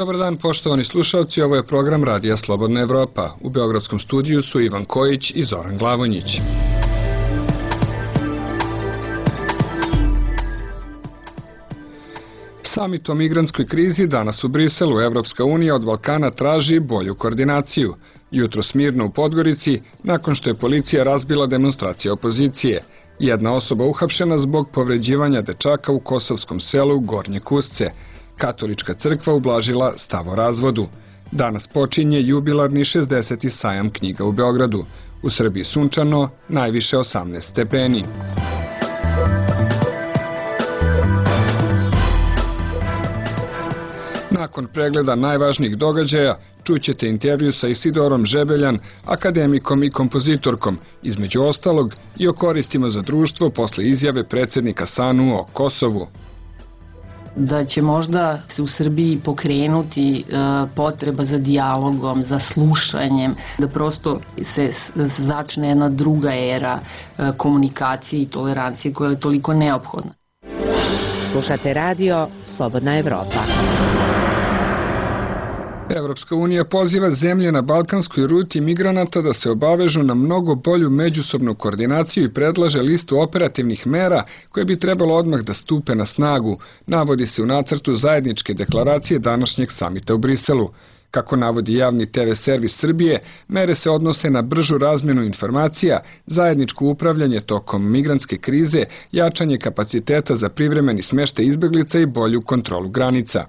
Dobar dan, poštovani slušalci, ovo je program Radija Slobodna Evropa. U Beogradskom studiju su Ivan Kojić i Zoran Glavonjić. Samit o migrantskoj krizi danas u Briselu. Evropska unija od Balkana traži bolju koordinaciju. Jutros mirno u Podgorici, nakon što je policija razbila demonstracije opozicije. Jedna osoba uhapšena zbog povređivanja dečaka u kosovskom selu Gornje Kusce. Katolička crkva ublažila stav o razvodu. Danas počinje jubilarni 60. sajam knjiga u Beogradu. U Srbiji sunčano, najviše 18 stepeni. Nakon pregleda najvažnijih događaja, čućete intervju sa Isidorom Žebeljan, akademikom i kompozitorkom, između ostalog i o koristima za društvo posle izjave predsjednika SANU o Kosovu. Da će možda se u Srbiji pokrenuti potreba za dijalogom, za slušanjem, da prosto se začne jedna druga era komunikacije i tolerancije koja je toliko neophodna. Slušate radio Slobodna Evropa. Evropska unija poziva zemlje na balkanskoj ruti migranata da se obavežu na mnogo bolju međusobnu koordinaciju i predlaže listu operativnih mera koje bi trebalo odmah da stupe na snagu, navodi se u nacrtu zajedničke deklaracije današnjeg samita u Briselu. Kako navodi javni TV servis Srbije, mere se odnose na bržu razmjenu informacija, zajedničko upravljanje tokom migrantske krize, jačanje kapaciteta za privremeni smještaj izbeglica i bolju kontrolu granica.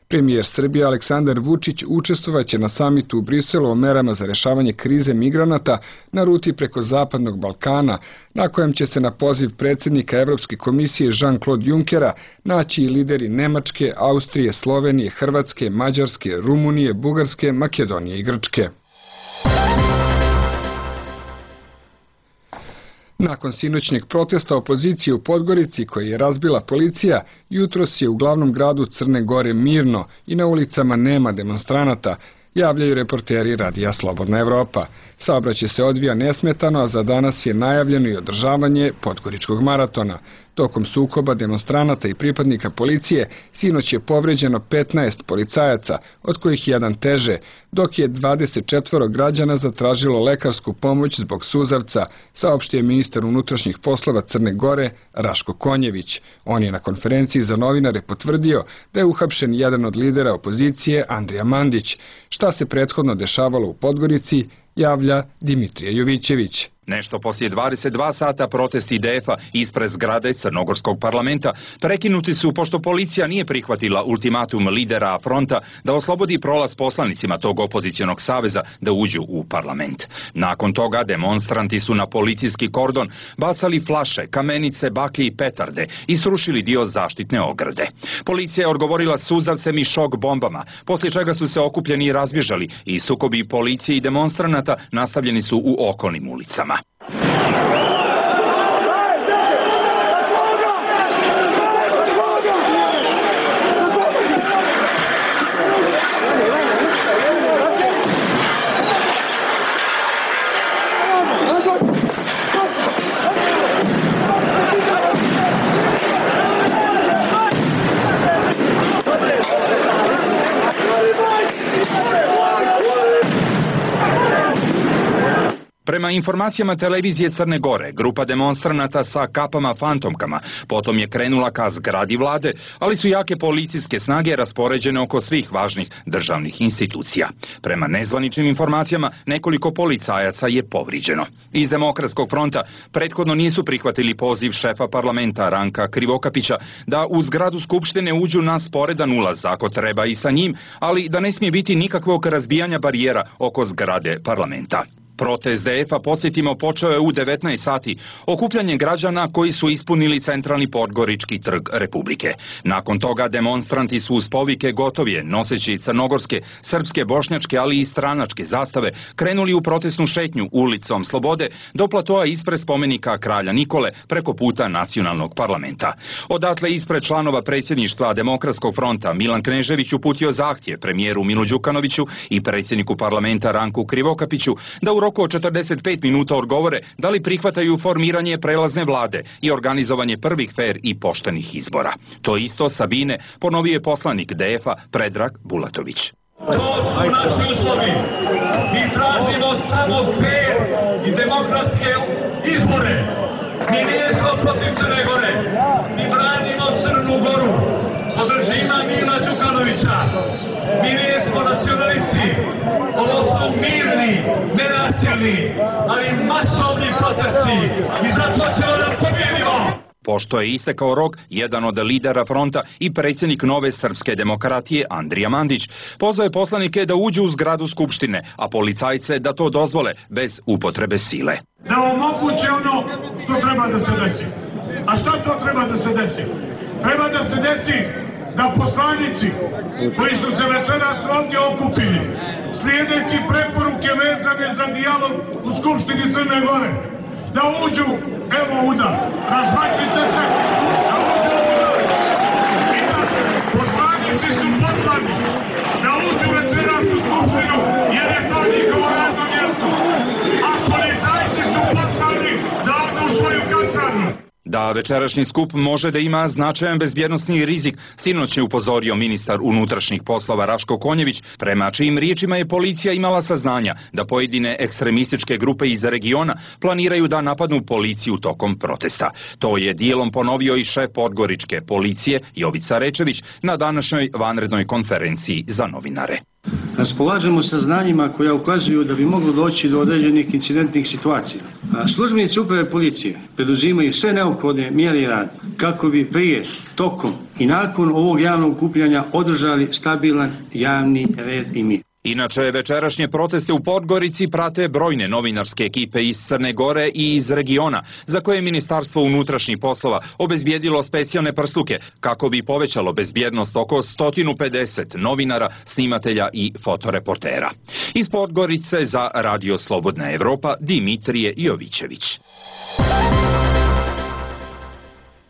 Premijer Srbije Aleksandar Vučić učestvovaće na samitu u Briselu o merama za rešavanje krize migranata na ruti preko Zapadnog Balkana, na kojem će se na poziv predsjednika Evropske komisije Jean-Claude Junckera naći i lideri Nemačke, Austrije, Slovenije, Hrvatske, Mađarske, Rumunije, Bugarske, Makedonije i Grčke. Nakon sinoćnjeg protesta opozicije u Podgorici koji je razbila policija, jutros je u glavnom gradu Crne Gore mirno i na ulicama nema demonstranata, javljaju reporteri Radija Slobodna Evropa. Saobraćaj se odvija nesmetano, a za danas je najavljeno i održavanje Podgoričkog maratona. Tokom sukoba demonstranata i pripadnika policije sinoć je povređeno 15 policajaca, od kojih jedan teže, dok je 24 građana zatražilo lekarsku pomoć zbog suzavca, saopštio je ministar unutrašnjih poslova Crne Gore Raško Konjević. On je na konferenciji za novinare potvrdio da je uhapšen jedan od lidera opozicije Andrija Mandić. Šta se prethodno dešavalo u Podgorici, javlja Dimitrije Jovićević. Nešto poslije 22 sata protesti IDF-a ispred zgrade Crnogorskog parlamenta prekinuti su pošto policija nije prihvatila ultimatum lidera fronta da oslobodi prolaz poslanicima tog opozicionog saveza da uđu u parlament. Nakon toga demonstranti su na policijski kordon bacali flaše, kamenice, baklje i petarde i srušili dio zaštitne ograde. Policija je odgovorila suzavcem i šok bombama, poslije čega su se okupljeni razbježali i sukobi policije i demonstranata nastavljeni su u okolnim ulicama. Prema informacijama televizije Crne Gore, grupa demonstranata sa kapama fantomkama potom je krenula ka zgradi vlade, ali su jake policijske snage raspoređene oko svih važnih državnih institucija. Prema nezvaničnim informacijama, nekoliko policajaca je povrijeđeno. Iz Demokratskog fronta prethodno nisu prihvatili poziv šefa parlamenta Ranka Krivokapića da u zgradu Skupštine uđu na sporedan ulaz ako treba i sa njim, ali da ne smije biti nikakvog razbijanja barijera oko zgrade parlamenta. Protest DF-a, podsjetimo, počeo je u 19 sati okupljanjem građana koji su ispunili centralni Podgorički trg Republike. Nakon toga demonstranti su uz povike gotovije, noseći crnogorske, srpske, bošnjačke, ali i stranačke zastave, krenuli u protestnu šetnju ulicom Slobode do platoa ispred spomenika Kralja Nikole preko puta nacionalnog parlamenta. Odatle ispred članova predsjedništva Demokratskog fronta Milan Knežević uputio zahtjev premijeru Milu Đukanoviću i predsjedniku parlamenta Ranku Krivokapiću da u roku od 45 minuta odgovore da li prihvataju formiranje prelazne vlade i organizovanje prvih fer i poštenih izbora. To isto Sabine ponovio je poslanik DF-a Predrag Bulatović. To su naši uslovi. Mi tražimo samo fer i demokratske izbore. Mi nismo protiv Crne Gore. Mi branimo Crnu Goru od režima Mila Đukanovića. Mi nismo nacionalisti. Ovo su mirni, nenasilni, ali masovni protesti. I zato ćemo da pobjedimo. Pošto je istekao rok, jedan od lidera fronta i predsjednik Nove srpske demokratije Andrija Mandić pozvao je poslanike da uđu u zgradu Skupštine, a policajce da to dozvole bez upotrebe sile. Da omoguće ono što treba da se desi. A šta to treba da se desi? Treba da se desi da poslanici koji su se večeras ovdje okupili, slijedeći preporuke vezane za dijalog u Skupštini Crne Gore, da uđu, evo udar, razmaknite se, da uđu udar. I da poslanici su poslani da uđu večeras u Skupštinu, jer je to njihovo radno mjesto. A policajci su poslani da odu u svoju kasarnu. Da večerašnji skup može da ima značajan bezbjednosni rizik, sinoć je upozorio ministar unutrašnjih poslova Raško Konjević, prema čijim riječima je policija imala saznanja da pojedine ekstremističke grupe iz regiona planiraju da napadnu policiju tokom protesta. To je dijelom ponovio i šef podgoričke policije Jovica Rečević na današnjoj vanrednoj konferenciji za novinare. Raspolažemo saznanjima koja ukazuju da bi moglo doći do određenih incidentnih situacija. Službenici uprave policije preduzimaju sve neophodne mjere i rad kako bi prije, tokom i nakon ovog javnog okupljanja održali stabilan javni red i mir. Inače, večerašnje proteste u Podgorici prate brojne novinarske ekipe iz Crne Gore i iz regiona, za koje je Ministarstvo unutrašnjih poslova obezbijedilo specijalne prsluke kako bi povećalo bezbjednost oko 150 novinara, snimatelja i fotoreportera. Iz Podgorice za Radio Slobodna Evropa Dimitrije Jovićević.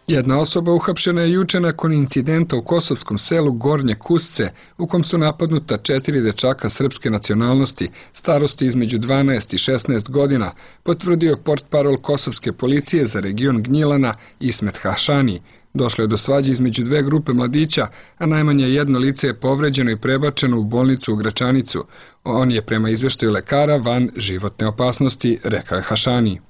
Jedna osoba uhapšena je juče nakon incidenta u kosovskom selu Gornje Kusce, u kom su napadnuta 4 dečaka srpske nacionalnosti, starosti između 12 i 16 godina, potvrdio portparol kosovske policije za region Gnjilana Ismet Hašani. Došlo je do svađe između dve grupe mladića, a najmanje jedno lice je povređeno i prebačeno u bolnicu u Gračanicu. On je prema izveštaju lekara van životne opasnosti, rekao je Hašani.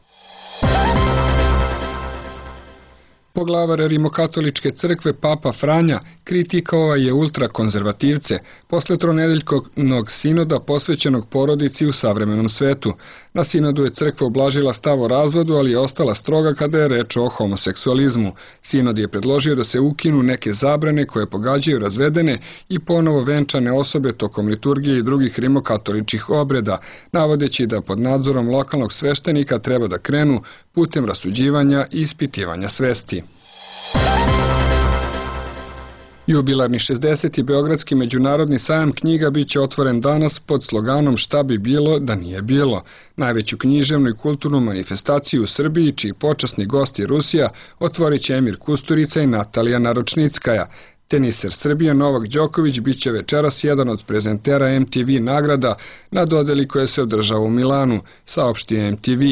Poglavar Rimokatoličke crkve Papa Franja kritikao je ultrakonzervativce posle tronedeljkovnog sinoda posvećenog porodici u savremenom svetu. Na sinodu je crkva oblažila stav o razvodu, ali je ostala stroga kada je reč o homoseksualizmu. Sinod je predložio da se ukinu neke zabrane koje pogađaju razvedene i ponovo venčane osobe tokom liturgije i drugih rimokatoličkih obreda, navodeći da pod nadzorom lokalnog sveštenika treba da krenu putem rasuđivanja i ispitivanja svesti. Jubilarni 60. Beogradski međunarodni sajam knjiga biće otvoren danas pod sloganom Šta bi bilo da nije bilo. Najveću književnu i kulturnu manifestaciju u Srbiji, čiji počasni gost je Rusija, otvorit će Emir Kusturica i Natalija Naročnickaja. Teniser Srbije Novak Đoković biće večeras jedan od prezentera MTV nagrada na dodeli koja se održava u Milanu, saopštio MTV.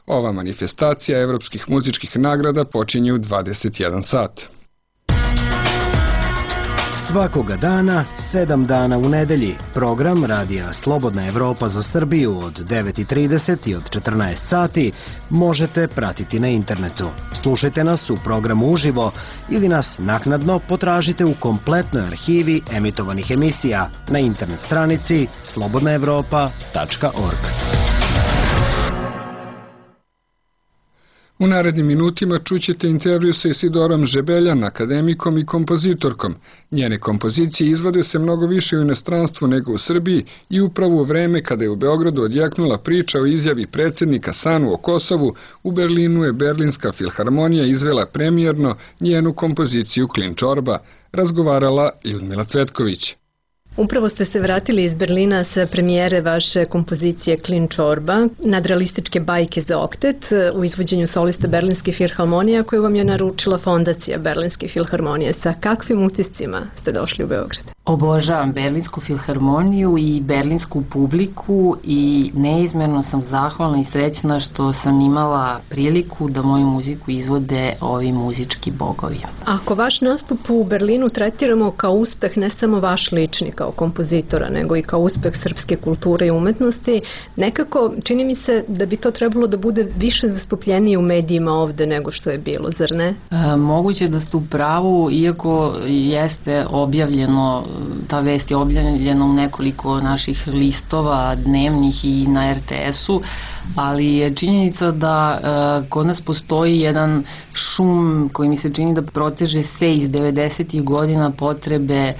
Ova manifestacija evropskih muzičkih nagrada počinje u 21 sat. Svakoga dana, 7 dana u nedelji, program Radija Slobodna Evropa za Srbiju od 9:30 i od 14 sati možete pratiti na internetu. Slušajte nas u programu uživo ili nas naknadno potražite u kompletnoj arhivi emitovanih emisija na internet stranici slobodnaevropa.org. U narednim minutima čućete intervju sa Isidorom Žebeljan, akademikom i kompozitorkom. Njene kompozicije izvode se mnogo više u inostranstvu nego u Srbiji i upravo u vreme kada je u Beogradu odjeknula priča o izjavi predsjednika Sanu o Kosovu, u Berlinu je Berlinska filharmonija izvela premijerno njenu kompoziciju Klin čorba, razgovarala Ljudmila Cvetković. Upravo ste se vratili iz Berlina sa premijere vaše kompozicije Klin čorba, nadrealističke bajke za oktet u izvođenju solista Berlinske filharmonije koju vam je naručila fondacija Berlinske filharmonije. Sa kakvim utiscima ste došli u Beograd? Obožavam Berlinsku filharmoniju i berlinsku publiku i neizmerno sam zahvalna i srećna što sam imala priliku da moju muziku izvode ovi muzički bogovi. Ako vaš nastup u Berlinu tretiramo kao uspeh ne samo vaš lični kao kompozitora, nego i kao uspeh srpske kulture i umetnosti, nekako čini mi se da bi to trebalo da bude više zastupljenije u medijima ovde nego što je bilo, zar ne? Moguće da ste u pravu, iako jeste objavljeno, ta vest je objavljena u nekoliko naših listova dnevnih i na RTS-u, ali je činjenica da kod nas postoji jedan šum koji mi se čini da proteže se iz 90. godina potrebe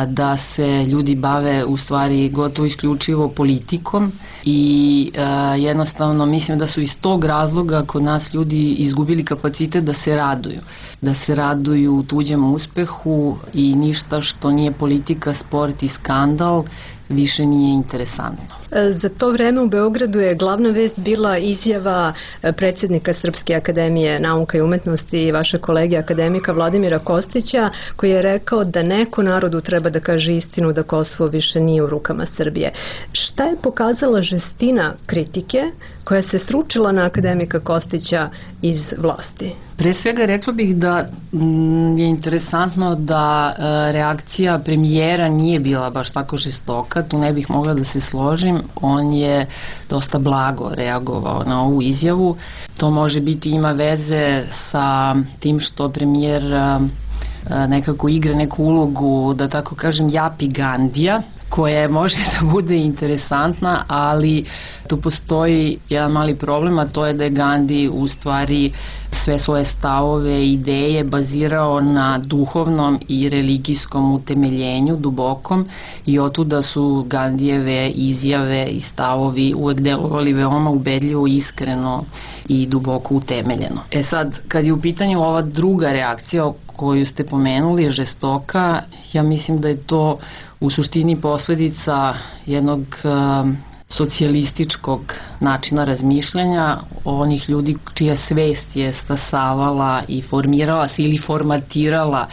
da se ljudi bave u stvari gotovo isključivo politikom i jednostavno mislim da su iz tog razloga kod nas ljudi izgubili kapacitet da se raduju tuđem uspehu i ništa što nije politika, sport i skandal više nije interesantno. Za to vreme u Beogradu je glavna vest bila izjava predsjednika Srpske akademije nauka i umetnosti i vaše kolege akademika Vladimira Kostića, koji je rekao da neko narodu treba da kaže istinu da Kosovo više nije u rukama Srbije. Šta je pokazala žestina kritike koja se sručila na akademika Kostića iz vlasti? Pre svega rekla bih da je interesantno da reakcija premijera nije bila baš tako žestoka, tu ne bih mogla da se složim, on je dosta blago reagovao na ovu izjavu. To može biti, ima veze sa tim što premijer nekako igra neku ulogu, da tako kažem, Japi Gandija, koja može da bude interesantna, ali tu postoji jedan mali problem, a to je da je Gandhi u stvari sve svoje stavove i ideje bazirao na duhovnom i religijskom utemeljenju, dubokom, i otuda su Gandijeve izjave i stavovi uvek delovali veoma ubedljivo, iskreno i duboko utemeljeno. Sad, kad je u pitanju ova druga reakcija koju ste pomenuli, je žestoka, ja mislim da je to u suštini posledica jednog socijalističkog načina razmišljanja, onih ljudi čija svest je stasavala i formirala se ili formatirala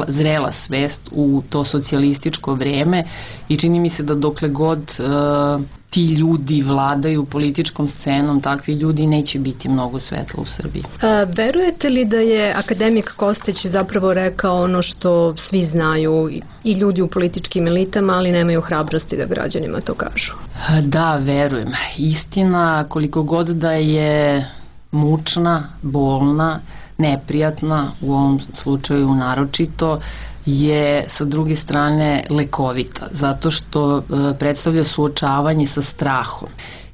zrela svest u to socijalističko vreme, i čini mi se da dokle god ti ljudi vladaju političkom scenom, takvi ljudi neće biti mnogo svetla u Srbiji. Verujete li da je akademik Kostić zapravo rekao ono što svi znaju i ljudi u političkim elitama, ali nemaju hrabrosti da građanima to kažu? Da, verujem. Istina, koliko god da je mučna, bolna, neprijatna, u ovom slučaju naročito, je sa druge strane lekovita, zato što predstavlja suočavanje sa strahom.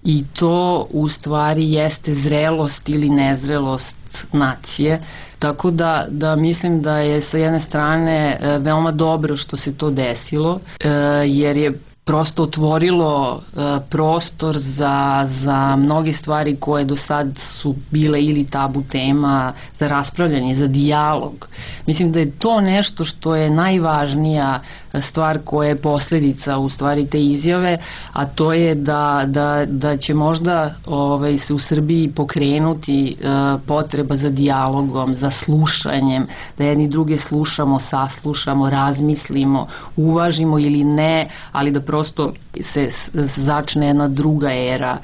I to u stvari jeste zrelost ili nezrelost nacije, tako da mislim da je sa jedne strane veoma dobro što se to desilo, jer je prosto otvorilo prostor za mnoge stvari koje do sad su bile ili tabu tema, za raspravljanje, za dijalog. Mislim da je to nešto što je najvažnija stvar koja je posledica u stvari te izjave, a to je da će možda se u Srbiji pokrenuti potreba za dijalogom, za slušanjem, da jedni druge slušamo, saslušamo, razmislimo, uvažimo ili ne, ali da prosto se začne jedna druga era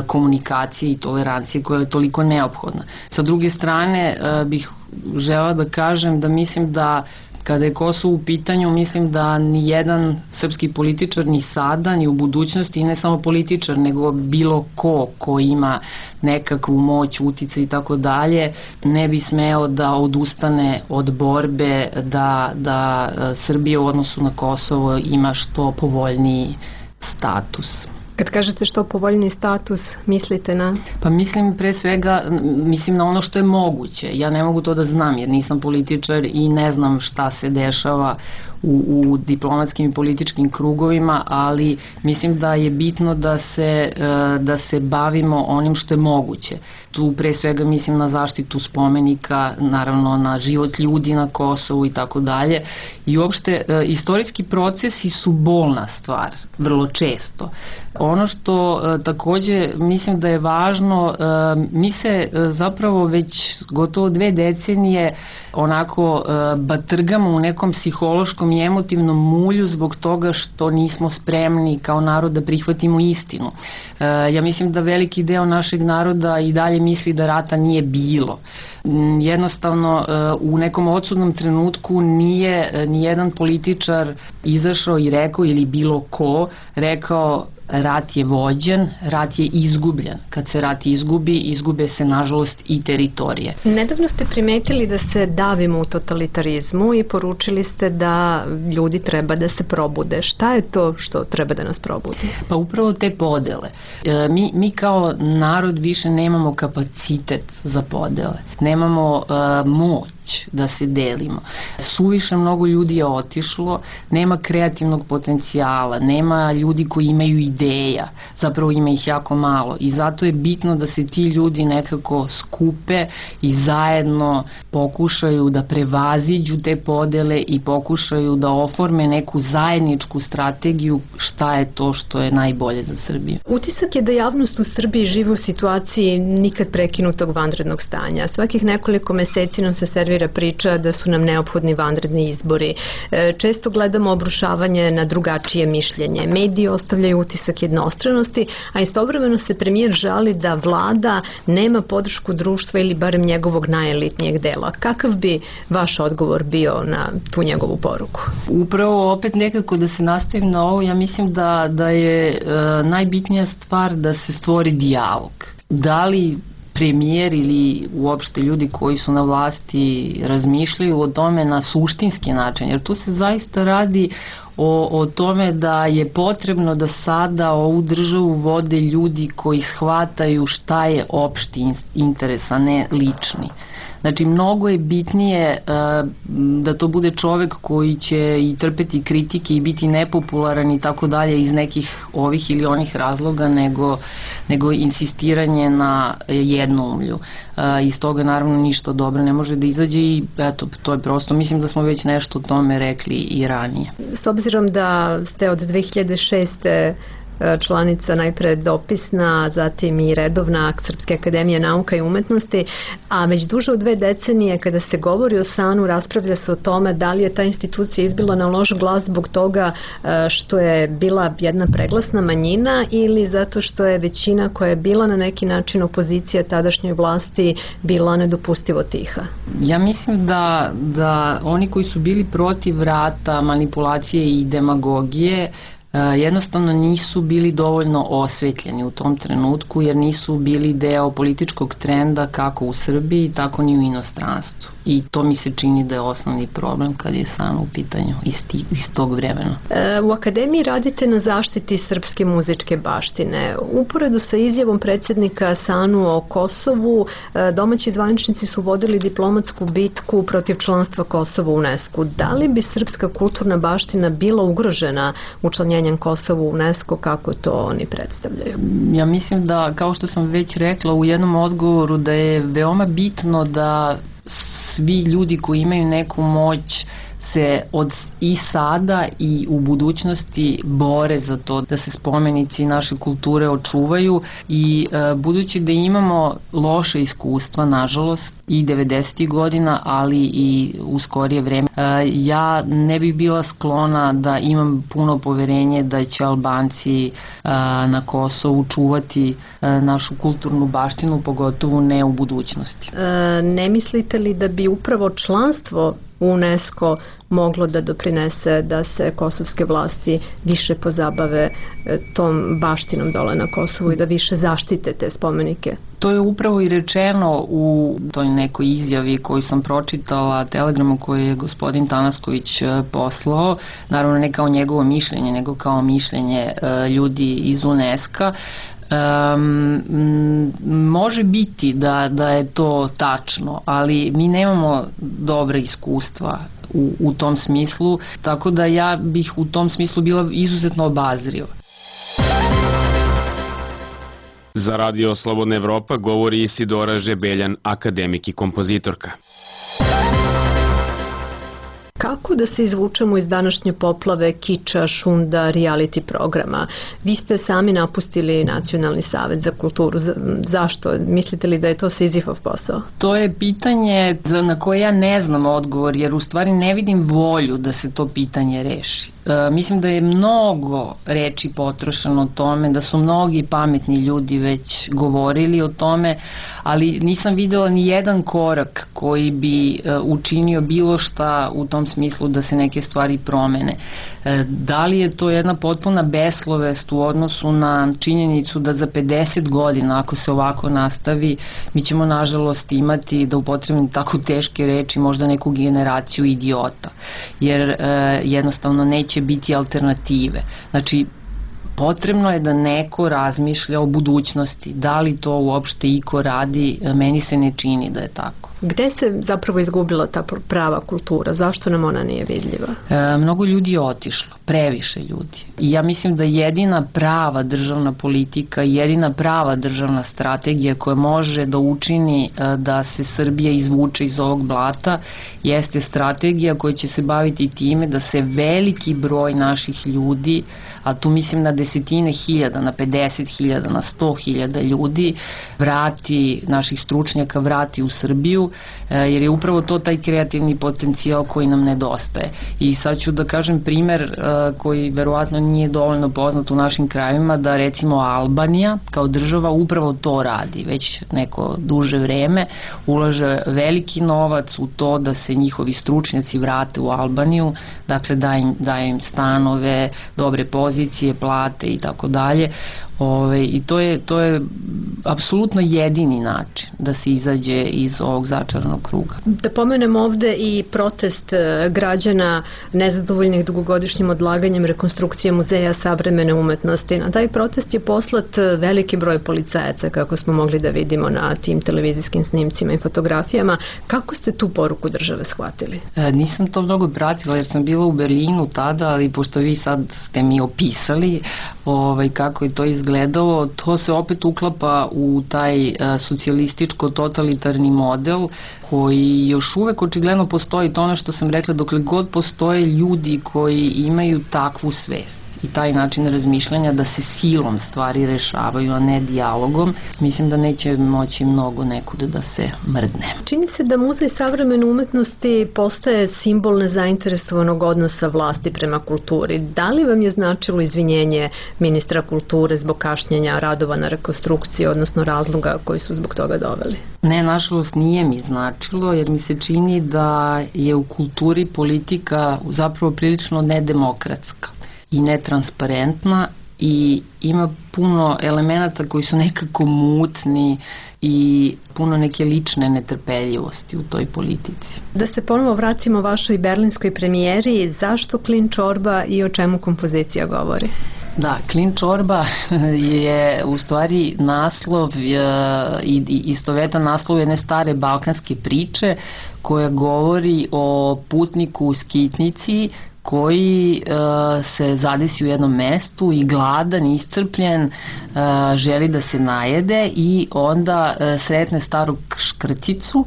komunikacije i tolerancije koja je toliko neophodna. Sa druge strane bih žela da kažem da mislim da kada je Kosovo u pitanju, mislim da ni jedan srpski političar ni sada, ni u budućnosti, i ne samo političar, nego bilo ko ima nekakvu moć, uticaj i tako dalje, ne bi smeo da odustane od borbe da Srbija u odnosu na Kosovo ima što povoljniji status. Kad kažete što povoljni status, mislite na? Pa mislim pre svega, mislim na ono što je moguće. Ja ne mogu to da znam jer nisam političar i ne znam šta se dešava u diplomatskim i političkim krugovima, ali mislim da je bitno da se bavimo onim što je moguće. tu pre svega mislim na zaštitu spomenika, naravno na život ljudi na Kosovu i tako dalje. I uopšte istorijski procesi su bolna stvar, vrlo često. Ono što takođe mislim da je važno, mi se zapravo već gotovo 2 decenije onako batrgamo u nekom psihološkom i emotivnom mulju zbog toga što nismo spremni kao narod da prihvatimo istinu. Ja mislim da veliki deo našeg naroda i dalje misli da rata nije bilo. Jednostavno u nekom odsudnom trenutku nije nijedan političar izašao i rekao, ili bilo ko rekao, rat je vođen, rat je izgubljen. Kad se rat izgubi, izgube se nažalost i teritorije. Nedavno ste primetili da se davimo u totalitarizmu i poručili ste da ljudi treba da se probude. Šta je to što treba da nas probudi? Pa upravo te podele. Mi kao narod više nemamo kapacitet za podele. Nemamo moć da se delimo. Suviše mnogo ljudi je otišlo, nema kreativnog potencijala, nema ljudi koji imaju ideja, zapravo ima ih jako malo i zato je bitno da se ti ljudi nekako skupe i zajedno pokušaju da prevaziđu te podele i pokušaju da oforme neku zajedničku strategiju šta je to što je najbolje za Srbiju. Utisak je da javnost u Srbiji živi u situaciji nikad prekinutog vanrednog stanja. Svakih nekoliko meseci nam se servira priča da su nam neophodni vanredni izbori. Često gledamo obrušavanje na drugačije mišljenje. Mediji ostavljaju utisak jednostranosti, a istovremeno se premijer žali da vlada nema podršku društva ili barem njegovog najelitnijeg dela. Kakav bi vaš odgovor bio na tu njegovu poruku? Upravo opet nekako da se nastavim na ovo, ja mislim da je najbitnija stvar da se stvori dijalog. Da li premijer ili uopšte ljudi koji su na vlasti razmišljaju o tome na suštinski način, jer tu se zaista radi o tome da je potrebno da sada ovu državu vode ljudi koji shvataju šta je opšti interes, a ne lični. Znači, mnogo je bitnije da to bude čovek koji će i trpeti kritike i biti nepopularan i tako dalje iz nekih ovih ili onih razloga nego insistiranje na jednoumlju. Iz toga naravno ništa dobro ne može da izađe i eto, to je prosto, mislim da smo već nešto o tome rekli i ranije. S obzirom da ste od 2006. članica najpre dopisna, zatim i redovna Srpske akademije nauka i umetnosti, a već duže od 2 decenije kada se govori o SANU raspravlja se o tome da li je ta institucija izbila na loš glas zbog toga što je bila jedna preglasna manjina ili zato što je većina koja je bila na neki način opozicija tadašnjoj vlasti bila nedopustivo tiha. Ja mislim da oni koji su bili protiv rata, manipulacije i demagogije jednostavno nisu bili dovoljno osvetljeni u tom trenutku jer nisu bili deo političkog trenda kako u Srbiji, tako ni u inostranstvu. I to mi se čini da je osnovni problem kad je SANU u pitanju iz tog vremena. U Akademiji radite na zaštiti srpske muzičke baštine. Uporedo sa izjavom predsjednika SANU o Kosovu, domaći zvaničnici su vodili diplomatsku bitku protiv članstva Kosova u UNESCO. Da li bi srpska kulturna baština bila ugrožena učlanjenjem Kosova u UNESCO kako to oni predstavljaju? Ja mislim da, kao što sam već rekla u jednom odgovoru, da je veoma bitno da svi ljudi koji imaju neku moć se i sada i u budućnosti bore za to da se spomenici naše kulture očuvaju i budući da imamo loše iskustva, nažalost, i 90. godina, ali i u skorije vreme, ja ne bih bila sklona da imam puno poverenje da će Albanci na Kosovu čuvati našu kulturnu baštinu, pogotovo ne u budućnosti. Ne mislite li da bi upravo članstvo UNESCO moglo da doprinese da se kosovske vlasti više pozabave tom baštinom dole na Kosovu i da više zaštite te spomenike? To je upravo i rečeno u toj nekoj izjavi koju sam pročitala, telegramu koji je gospodin Tanasković poslao, naravno ne kao njegovo mišljenje, nego kao mišljenje ljudi iz UNESCO-a. Može biti da je to tačno, ali mi nemamo dobre iskustva u tom smislu, tako da ja bih u tom smislu bila izuzetno obazriva. Za Radio Slobodna Evropa govori Isidora Žebeljan, akademik i kompozitorka. Kako da se izvučemo iz današnje poplave kiča, šunda, reality programa? Vi ste sami napustili Nacionalni savet za kulturu. Zašto? Mislite li da je to Sizifov posao? To je pitanje na koje ja ne znam odgovor, jer u stvari ne vidim volju da se to pitanje reši. Mislim da je mnogo reči potrošeno o tome, da su mnogi pametni ljudi već govorili o tome, ali nisam videla ni jedan korak koji bi učinio bilo šta u tom smislu da se neke stvari promene. Da li je to jedna potpuna beslovest u odnosu na činjenicu da za 50 godina, ako se ovako nastavi, mi ćemo nažalost imati, da upotrebim tako teške reči, možda neku generaciju idiota, jer jednostavno neće biti alternative. Znači, potrebno je da neko razmišlja o budućnosti. Da li to uopšte iko radi, meni se ne čini da je tako. Gde se zapravo izgubila ta prava kultura? Zašto nam ona nije vidljiva? Mnogo ljudi je otišlo, previše ljudi. I ja mislim da jedina prava državna politika, jedina prava državna strategija koja može da učini da se Srbija izvuče iz ovog blata jeste strategija koja će se baviti time da se veliki broj naših ljudi, a tu mislim na desetine hiljada, na 50.000, na 100.000 ljudi, vrati, naših stručnjaka vrati u Srbiju, jer je upravo to taj kreativni potencijal koji nam nedostaje. I sad ću da kažem primer koji verovatno nije dovoljno poznat u našim krajevima, da recimo Albanija kao država upravo to radi. Već neko duže vreme ulaže veliki novac u to da se njihovi stručnjaci vrate u Albaniju, dakle daje im stanove, dobre pozicije, plate i tako dalje. I to je apsolutno jedini način da se izađe iz ovog začaranog kruga. Da pomenem ovde i protest građana nezadovoljnih dugogodišnjim odlaganjem rekonstrukcije Muzeja savremene umetnosti. Na taj protest je poslat veliki broj policajaca, kako smo mogli da vidimo na tim televizijskim snimcima i fotografijama. Kako ste tu poruku države shvatili? Nisam to mnogo pratila jer sam bila u Berlinu tada, ali pošto vi sad ste mi opisali kako je to izgledalo, to se opet uklapa u taj socijalističko-totalitarni model koji još uvek očigledno postoji. To ono što sam rekla, dokle god postoje ljudi koji imaju takvu svest i taj način razmišljanja da se silom stvari rešavaju, a ne dijalogom, mislim da neće moći mnogo nekuda da se mrdne. Čini se da Muzej savremene umetnosti postaje simbol nezainteresovanog odnosa vlasti prema kulturi. Da li vam je značilo izvinjenje ministra kulture zbog kašnjenja radova na rekonstrukciji, odnosno razloga koji su zbog toga doveli? Ne, nažalost nije mi značilo, jer mi se čini da je u kulturi politika zapravo prilično nedemokratska i netransparentna i ima puno elemenata koji su nekako mutni i puno neke lične netrpeljivosti u toj politici. Da se ponovo vratimo vašoj berlinskoj premijeri, zašto Klin čorba i o čemu kompozicija govori? Da, Klin čorba je u stvari naslov i istovetan naslov jedne stare balkanske priče koja govori o putniku u skitnici koji se zadesi u jednom mestu i gladan, iscrpljen, želi da se najede i onda sretne staru škrticu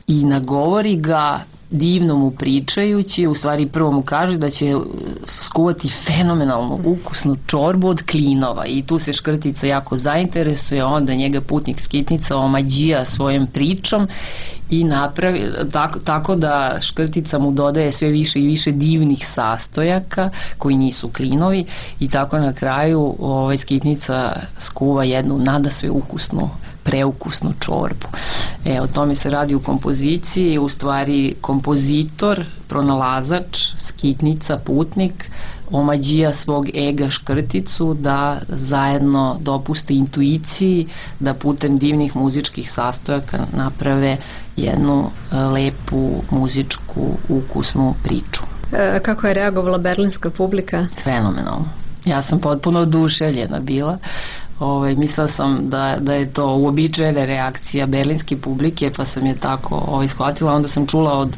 i nagovori ga divno mu pričajući, u stvari prvo mu kaže da će skuvati fenomenalnu ukusnu čorbu od klinova i tu se škrtica jako zainteresuje, onda njega putnik skitnica omađija svojom pričom i napravi tako da škrtica mu dodaje sve više i više divnih sastojaka koji nisu klinovi i tako na kraju skitnica skuva jednu nadasve ukusnu, preukusnu čorbu. O tome se radi u kompoziciji, u stvari kompozitor, pronalazač, skitnica, putnik, omađija svog ega škrticu da zajedno dopuste intuiciji da putem divnih muzičkih sastojaka naprave jednu lepu muzičku ukusnu priču. Kako je reagovala berlinska publika? Fenomenalno. Ja sam potpuno oduševljena bila. Mislila sam da je to uobičajena reakcija berlinske publike, pa sam je tako shvatila. Onda sam čula od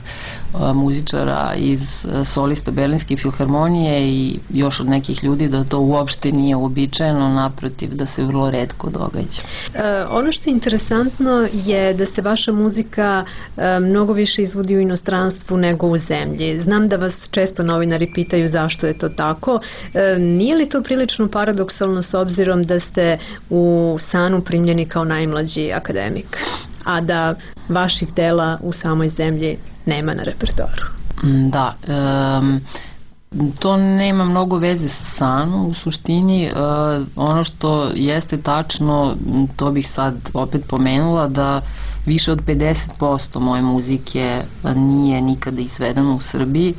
muzičara iz solista Berlinske filharmonije i još od nekih ljudi da to uopšte nije uobičajeno, naprotiv, da se vrlo retko događa. Ono što je interesantno je da se vaša muzika mnogo više izvodi u inostranstvu nego u zemlji. Znam da vas često novinari pitaju zašto je to tako. Nije li to prilično paradoksalno s obzirom da ste u SANU primljeni kao najmlađi akademik, a da vaših dela u samoj zemlji nema na repertoaru? Da, to nema mnogo veze sa SANU u suštini. Ono što jeste tačno, to bih sad opet pomenula, da više od 50% moje muzike nije nikada izvedeno u Srbiji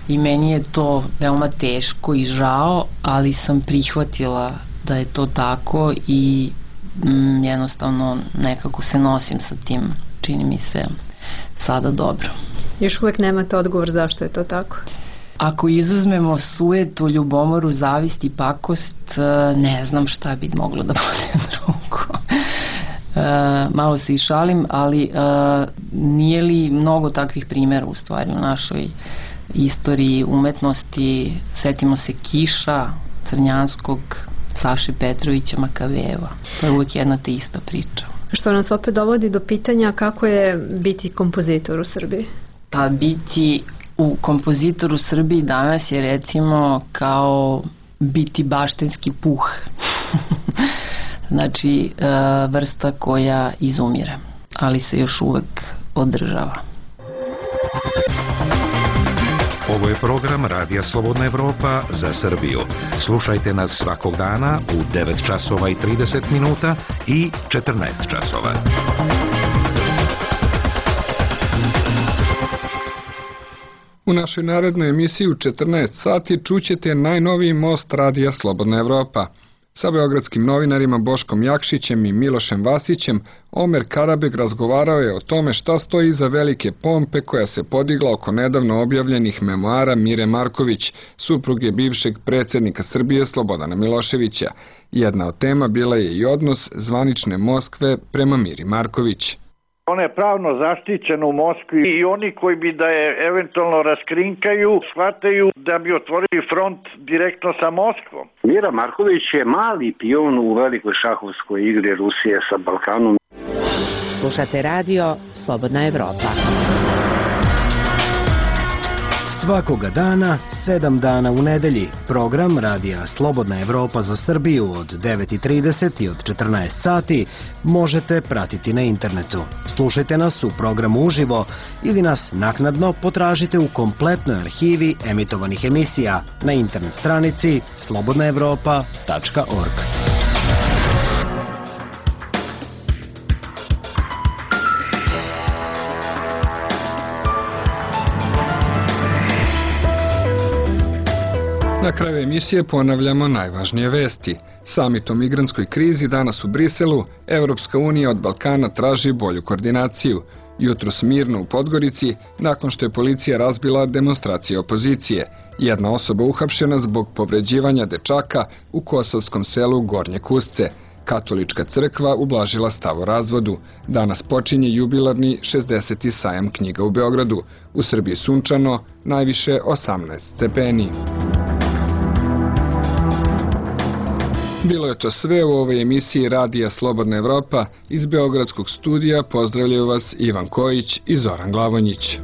i meni je to veoma teško i žao, ali sam prihvatila da je to tako i jednostavno nekako se nosim sa tim, čini mi se sada dobro. Još uvek nemate odgovor zašto je to tako? Ako izuzmemo sujetu, ljubomoru, zavist i pakost, ne znam šta bi moglo da bude drugo. Malo se i šalim, ali nije li mnogo takvih primjera u stvari u našoj istoriji umetnosti? Setimo se Kiša, Crnjanskog, Saše Petrovića, Makaveva. To je uvijek jedna te ista priča. Što nas opet dovodi do pitanja kako je biti kompozitor u Srbiji? Pa biti kompozitor u Srbiji danas je recimo kao biti baštenski puh. Znači vrsta koja izumire, ali se još uvek održava. Ovo je program Radija Slobodna Evropa za Srbiju. Slušajte nas svakog dana u 9 časova i 30 minuta i 14 časova. U našoj narednoj emisiji u 14 sati čućete najnoviji most Radija Slobodna Evropa. Sa beogradskim novinarima Boškom Jakšićem i Milošem Vasićem, Omer Karabeg razgovarao je o tome šta stoji iza velike pompe koja se podigla oko nedavno objavljenih memoara Mire Marković, supruge bivšeg predsjednika Srbije Slobodana Miloševića. Jedna od tema bila je i odnos zvanične Moskve prema Miri Marković. Ona je pravno zaštićena u Moskvi i oni koji bi da je eventualno raskrinkaju, shvataju da bi otvorili front direktno sa Moskvom. Mira Marković je mali pion u velikoj šahovskoj igri Rusije sa Balkanom. Slušate radio Slobodna Evropa. Svakoga dana, 7 dana u nedelji, program Radija Slobodna Evropa za Srbiju od 9:30 i od 14 sati možete pratiti na internetu. Slušajte nas u programu uživo ili nas naknadno potražite u kompletnoj arhivi emitovanih emisija na internet stranici slobodnaevropa.org. Na kraju emisije ponavljamo najvažnije vesti. Samit o migrantskoj krizi danas u Briselu, Evropska unija od Balkana traži bolju koordinaciju. Jutros mirno u Podgorici, nakon što je policija razbila demonstracije opozicije. Jedna osoba uhapšena zbog povređivanja dečaka u kosovskom selu Gornje Kusce. Katolička crkva ublažila stav o razvodu. Danas počinje jubilarni 60. sajam knjiga u Beogradu. U Srbiji sunčano, najviše 18 stepeni. Bilo je to sve u ovoj emisiji Radija Slobodna Evropa. Iz Beogradskog studija pozdravljaju vas Ivan Kojić i Zoran Glavonjić.